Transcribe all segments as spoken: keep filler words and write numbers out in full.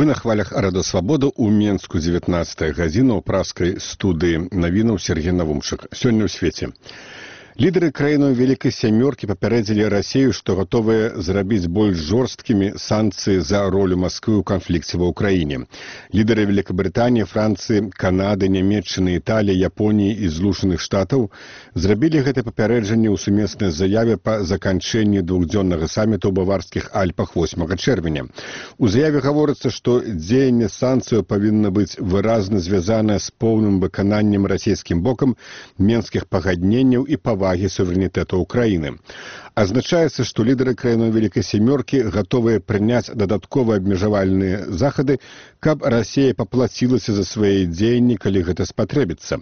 На хвалях Радасвабода ў Менску дзевятнаццатая гадзіна ў праскай студыі навінаў Сергей Навумчык. Сёння ў свеце. Лідары краінаў Вялікай Сямёркі папярэдзілі Расію, што гатовыя зрабіць больш жорсткімі санкцыі за ролю Масквы ў канфлікце ва ўкраіне. Лідары Великабрытаніі, Францыі, Канады, Нямецчыны, Італіі, Японіі і Злучаных Штатаў зрабілі гэта папярэджанне ў сумеснай заяве па заканчэнні двухдзённага саміту ў Баварскіх Альпах восьмага чэрвеня. У заяве гаворыцца, што дзеянне санкцыяў павінна быць выразна звязанае з поўным выкананнем расійскім бокам менскіх пагадненняў і павагі суверэнітэту Украіны. Азначаецца, што лідары краінаў Вялікай Сямёркі гатовыя прыняць дадатковыя абмежавальныя захады, каб Расія паплацілася за свае дзеянні, калі гэта спатрэбіцца.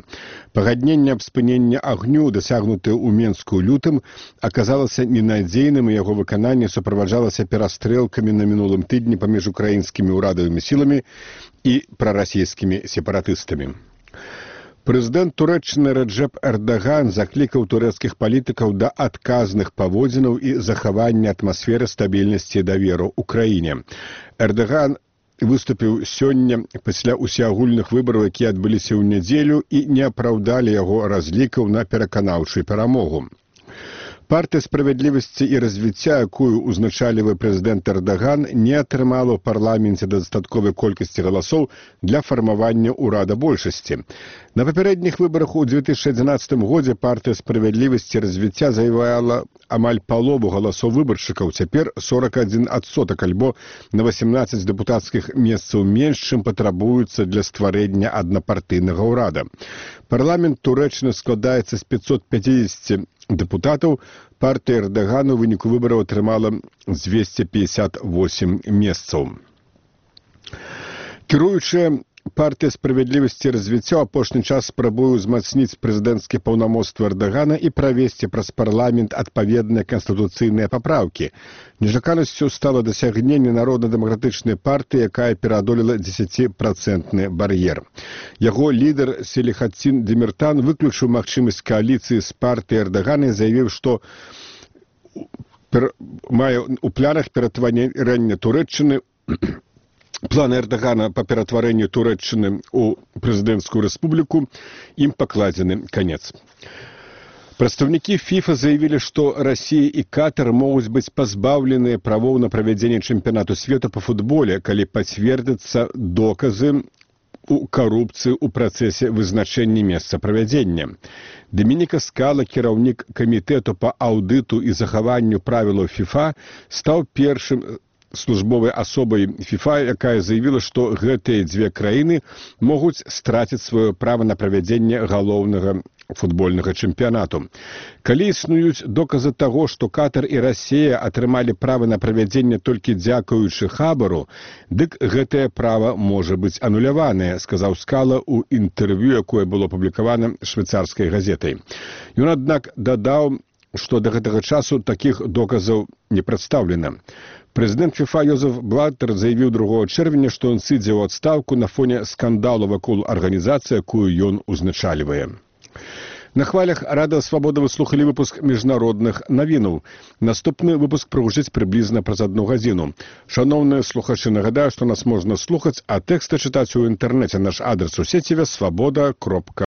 Пагадненне аб спыненні агню, дасягнутае ў Менску ў лютым, аказалася ненадзейным, і яго выкананне суправаджалася перастрэлкамі на мінулым тыдні паміж украінскімі ўрадавымі сіламі і прарасійскімі сепаратыстамі. Прэзідэнт Турэччыны Рэджэп Эрдаган заклікаў турэцкіх палітыкаў да адказных паводзінаў і захавання атмасферы стабільнасці і даверу ў краіне. Эрдаган выступіў сёння пасля усеагульных выбараў, якія адбыліся ў нядзелю і не апраўдалі яго разлікаў на пераканаўчую перамогу. Партыя справядлівасці і развіцця, якую узначалівае прэзідэнт Эрдаган, не атрымала ў парламенце дастатковай колькасці галасоў для фармавання ўрада большасці. На папярэдніх выбарах у две тысячы адзінаццатым годзе партыя справядлівасці і развіцця заваявала амаль палову галасоў выбаршчыкаў, цяпер сорок адзін адсотак, альбо на васемнаццаць дэпутацкіх месцаў менш, чым патрабуецца для стварэння аднапартыйнага ўрада. Парламент Турэччыны складаецца з пятьсот пятьдесят дэпутатаў, партыя Эрдагана ў выніку выбараў атрымала дзвесце пятьдесят восемь месцаў. Кіруючая партыя справядлівасці і развіцця ў апошні час спрабуе ўзмацніць прэзідэнцкія паўнамоцтвы Эрдагана і правесці праз парламент адпаведныя канстытуцыйныя папраўкі. Нечаканасцю стала дасягненне Народна-дэмакратычнай партыі, якая пераадолела дзесяціпрацэнтны бар'ер. Яго лідар Селихатдин Демиртан выключыў магчымасць кааліцыі з партыяй Эрдагана і заявіў, што мае ў планах ператварэння Турэччыны Планы Эрдагана па ператварэнню Турэччыны ў прэзідэнцкую рэспубліку ім пакладзены канец. Прадстаўнікі ФІФА заявілі, што Расія і Катар могуць быць пазбаўленыя правоў на правядзенне чэмпіянату свету па футболе, калі пацвердзяцца доказы у карупцыі ў працэсе вызначэння месца правядзення. Дамініка Скала, кіраўнік камітэту па аўдыту і захаванню правілаў ФІФА, стаў першым службовай асобай ФІФА, якая заявіла, што гэтыя дзве краіны могуць страціць сваё права на правядзенне галоўнага футбольнага чэмпіянату. Калі існуюць доказы таго, што Катар і Расія атрымалі права на правядзенне толькі дзякуючы хабару, дык гэтае права можа быць ануляванае, сказаў Скала ў інтэрв'ю, якое было апублікавана швейцарскай газетай. Ён, аднак, дадаў, што да гэтага часу такіх доказаў не прадстаўлена. Прэзідэнт ФІФА Йозеф Блаттер заявіў другога чэрвеня, што ён сыдзе ў адстаўку на фоне скандалу вакол арганізацыі, якую ён узначальвае. На хвалях Радасвабода вы слухалі выпуск міжнародных навінаў. Наступны выпуск прагучыць прыблізна праз адну гадзіну. Шаноўныя слухачы, нагадаю, што нас можна слухаць, а тэксты чытаць у інтэрнэце. Наш адрас у сеціве свабода кропка